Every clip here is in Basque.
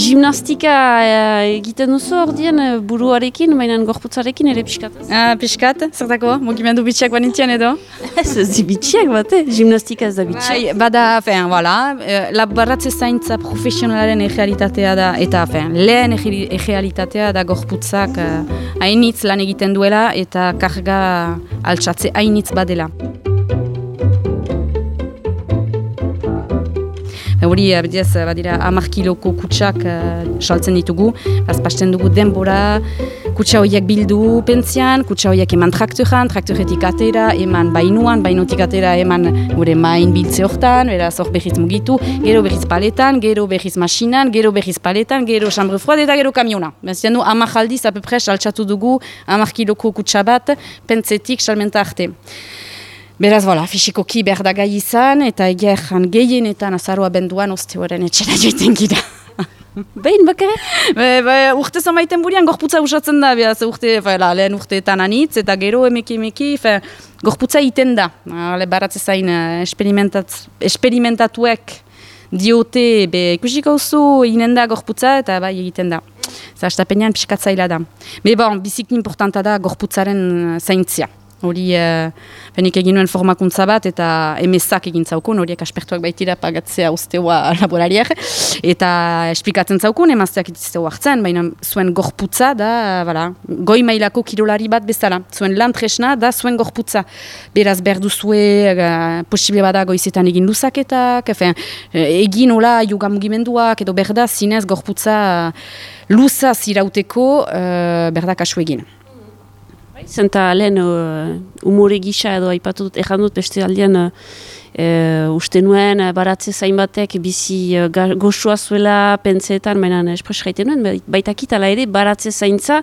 Gimnastika egiten duzu ordien buruarekin, baina gorputzarekin ere pixkat. Pixkat, zertako, mugimendu bitxiak banintzian edo? Ez bitxiak bate, gimnastika ez da bitxiak. Bada, voilà, baratze zaintza profesionalaren egealitatea da, eta lehen egealitatea da gorputzak hainitz lan egiten duela eta karga altxatze hainitz badela. Hori, badira 10 kiloko kutsak saltzen ditugu, pasten dugu denbora, kutsa horiek bildu pentzian, kutsa horiek eman traktoretik atera, eman bainuan, bainutik atera eman gure main biltze hortan, beraz hor berriz mugitu, gero berriz paletan, gero berriz masinan, gero berriz paletan, gero chambre froide eta gero kamiona. Bezien du, 10 aldiz, apepre, saltsatu dugu 10 kiloko kutsa bat, pentzetik salmenta arte. Beraz, fisikoki behar da gai izan, eta egeran gehienetan azaroa benduan oste horren etxera joiten gira. Behin bakare? Urte zamaiten burian gorputza usatzen da, lehen urteetan anitz, eta gero emeki, gorputza iten da. Baratze zain esperimentatuek diote, ikusiko zu, inen da gorputza, eta bai egiten da. Zastapenean pixkatzaila da. Biziki importanta da gorputzaren zaintzia. Hori, benik egin nuen formakuntza bat eta emezak egin zaukun, horiek aspertuak baitira pagatzea usteoa laborariak, eta esplikatzen zaukun, emazteak itizteo hartzen, baina zuen gorputza da, goi mailako kirolari bat bezala. Zuen lan tresna da zuen gorputza. Beraz, berduzue, posible bada goizetan egin luzaketak, egin hola yoga mugimenduak, edo berda zinez gorputza luzaz irauteko berda kasu egin. Zenta lehen umore gisa edo aipatu dut, erran dut beste aldean uste nuen baratze zain batek bizi goxua zuela pentseetan, baina espres gaiten nuen, baitakit ala ere baratze zaintza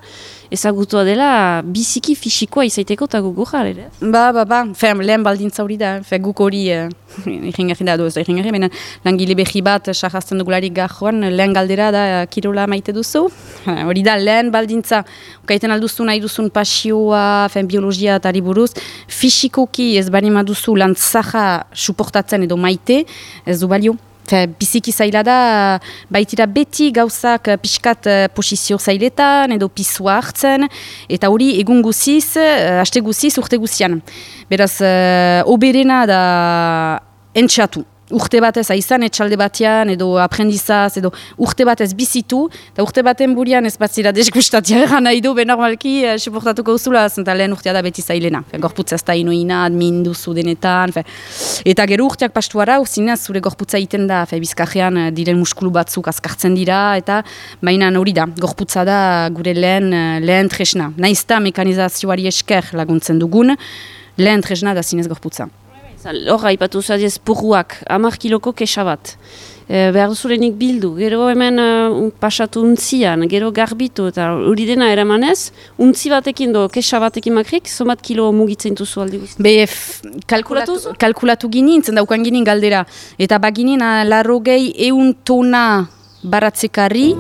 ezagutua dela biziki fisikoa izaiteko eta gugurra ere. Lehen baldintza hori da, guk hori irringarri da, baina langile behi bat sarrazten dugularik gajoan, lehen galdera da kirola maite duzu. Hori da, lehen baldintza, ukaiten alduzu nahi duzun pasioa, biologia eta buruz, fisikoki ez bani maduzu lan zaha suportatzen edo maite, ez du balio. Biziki zaila da, baitira beti gauzak pixkat posizio zailetan edo pisua hartzen, eta hori egun guziz, haste guziz, urte guzian. Beraz, oberena da entxatu. Urte batez aizan etxalde batean, edo aprendizaz, edo urte batez bizitu, eta urte baten burian ez bat zira desgustatia eran nahi du, benormalki suportatuko uzula, zenta lehen urtea da beti zailena. Gorputza ez da inoina, admin duzu denetan, eta gero urteak pastuara, zinez zure gorputza iten da, bizkarrean diren muskulu batzuk azkartzen dira, eta mainan hori da, gorputza da gure lehen tresna. Naizta mekanizazioari esker laguntzen dugun, lehen tresna da zinez gorputza. Horra, ipatu zadiez purruak, 10 kiloko kesa bat. Behar duzurenik bildu, gero hemen pasatu untzian, gero garbitu, eta hori dena eramanez, untzi batekin do, kesa batekin makrik, somat kilo mugitzen duzu aldi guzti. Kalkulatu ginen, zendaukan ginen galdera. Eta baginen, 100 tona baratzekarri,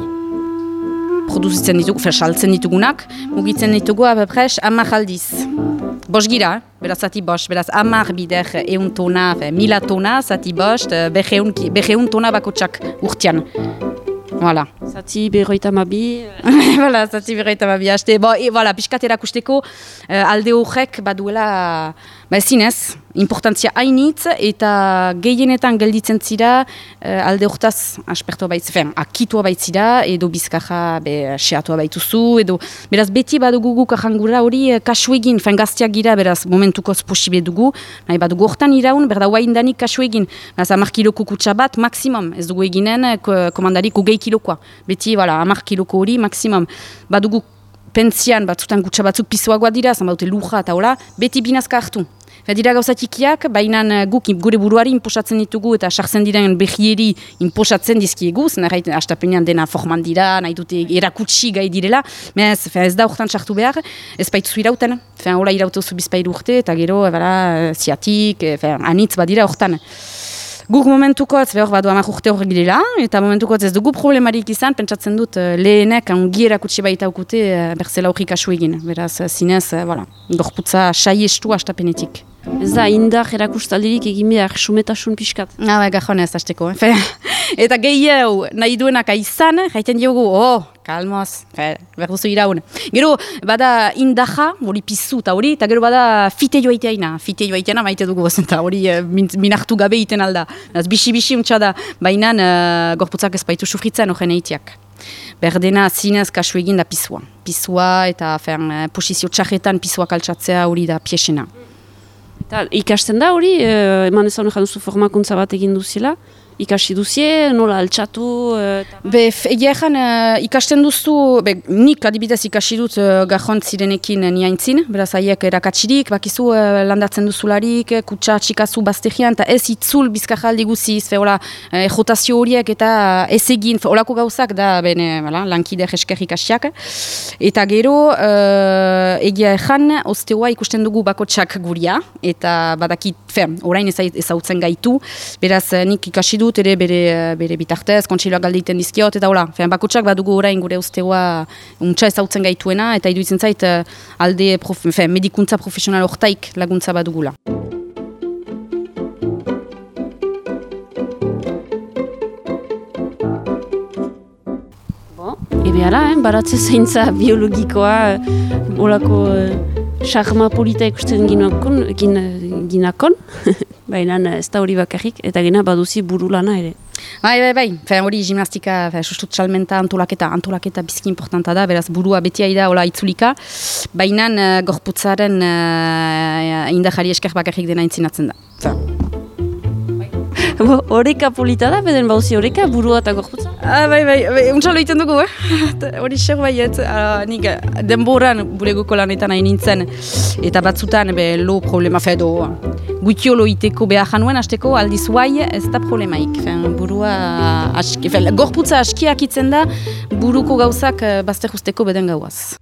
produzitzen ditugu, saltzen ditugunak, mugitzen ditugu, apapres, 10 aldiz. Bos gira, beraz zati bost, beraz 10 bider 100 tona, 1000 tona, zati bost, 100 tona bakotsak urtean. Voilà. Zati berroita mabi. Voilà, zati berroita mabi. Piskat erakusteko alde horrek baduela zinez, importantzia hainitz eta gehienetan gelditzen zira alde hortaz aspertua baitzera, akitua baitzira edo bizkarra seatua baituzu, edo beraz beti badugu guk ahangura hori kasu egin, gazteak gira, beraz momentukoz posible dugu, nahi badugu hortan iraun, berda huaindanik kasu egin, beraz 10 kiloko kutsa bat maksimum, ez dugu eginen komandarik 20 kilokoa, beti 10 kiloko hori maksimum, badugu pentsian batzutan kutsa batzuk pisoagoa dira, zan baute luja eta hola, beti binazka hartu. Dira gauzatikiak, baina guk gure buruari inposatzen ditugu eta sartzen diren behieri inposatzen dizkiegu, zen astapenean dena forman dira, nahi dute erakutsi gai direla, ez da horretan sartu behar, ez baituzu irauten, hola irautuzu bizpairu urte eta gero ziatik, anitz badira horretan. Guk momentukotz, behor badu 10 urte horrek direla, eta momentukotz ez dugu problemarik izan, pentsatzen dut lehenek ongi erakutsi baita ukute berzela horrik asu egin. Beraz, zinez, gorputza saiestu astapenetik. Ez da, indar erakustaldirik egin behar, sumetasun pixkat. Gajon ez, hasteko. Eta gehiago nahi duenak izan, jaiten diogu, kalmoz, berduzu iraun. Gero, bada indaja, hori pizu eta hori, eta gero bada fite joaiteaina. Fite joaiteaina maite dugu, eta hori minartu gabe iten alda. Bisi-bisi untsa da, baina gorputzak ez baitu sufritzen horren eitiak. Berdena zinez kasu egin da pizua. Pizua eta posizio txarretan pizua kaltsatzea hori da piesena. Eta ikasten da hori, eman ezan duzu formakuntza bat egin duzila? Ikasi duzie, nola altxatu? Egia ezan, ikasten duzu, nik adibidez ikasi dut gajont zirenekin niaintzin, beraz haiek erakatsirik, bakizu landatzen duzularik, kutsa txikazu baztegian, eta ez itzul bizkajaldi guziz, jotazio horiek eta ez egin, olako gauzak da lankide jesker ikasiak. Eta gero, egia ezan, osteoa ikusten dugu bakotsak guria, eta badakit, orain ezautzen gaitu, beraz nik ikasi dut, ere bere bitartez, kontseiloak galdeiten dizkiot, eta hola, bakotsak badugu orain gure usteoa untsa ezautzen gaituena, eta iduitzen zait alde medikuntza profesional hortaik laguntza badugula. Ebe ala, baratze zaintza biologikoa, olako charma polita ikusten ginakon, baina ez da hori bakarrik, eta gena baduzi burulana ere. Bai, hori gimnastika, sustut txalmenta antolaketa bizki importanta da, beraz burua betia da hola itzulika, baina gorputzaren indahari esker bakarrik dena intzinatzen da. Horeka polita da, beden bauzi horeka, burua eta gorputza? Bai, untsalo egiten dugu, hori xer baiet, nik denboran bulegoko lanetan hain nintzen, eta batzutan lo problema fedo, guitiolo iteko behar januen, hasteko aldiz guai ez da problemaik, burua, gorputza askiak itzen da, buruko gauzak bazter usteko beden gauaz.